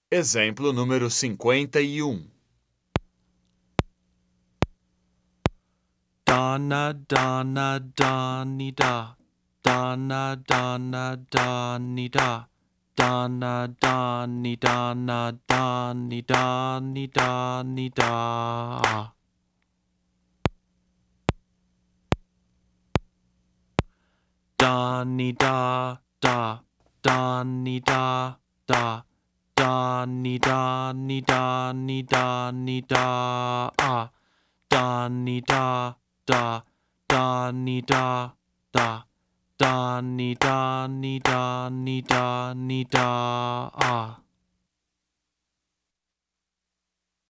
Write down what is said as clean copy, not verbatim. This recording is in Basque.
Exemplo número 51. Donna, Donna, Donny, da. Donna, Donna, Donny, da. Donna, Donny, Donna, Donny, Donny, Donny, da. Donny, da, da. Donny, da, da. Donny, Donny, Donny, Donny, da. Donny, da, da. Donny, da, da. Donny, Donny, Donny, Donny, da.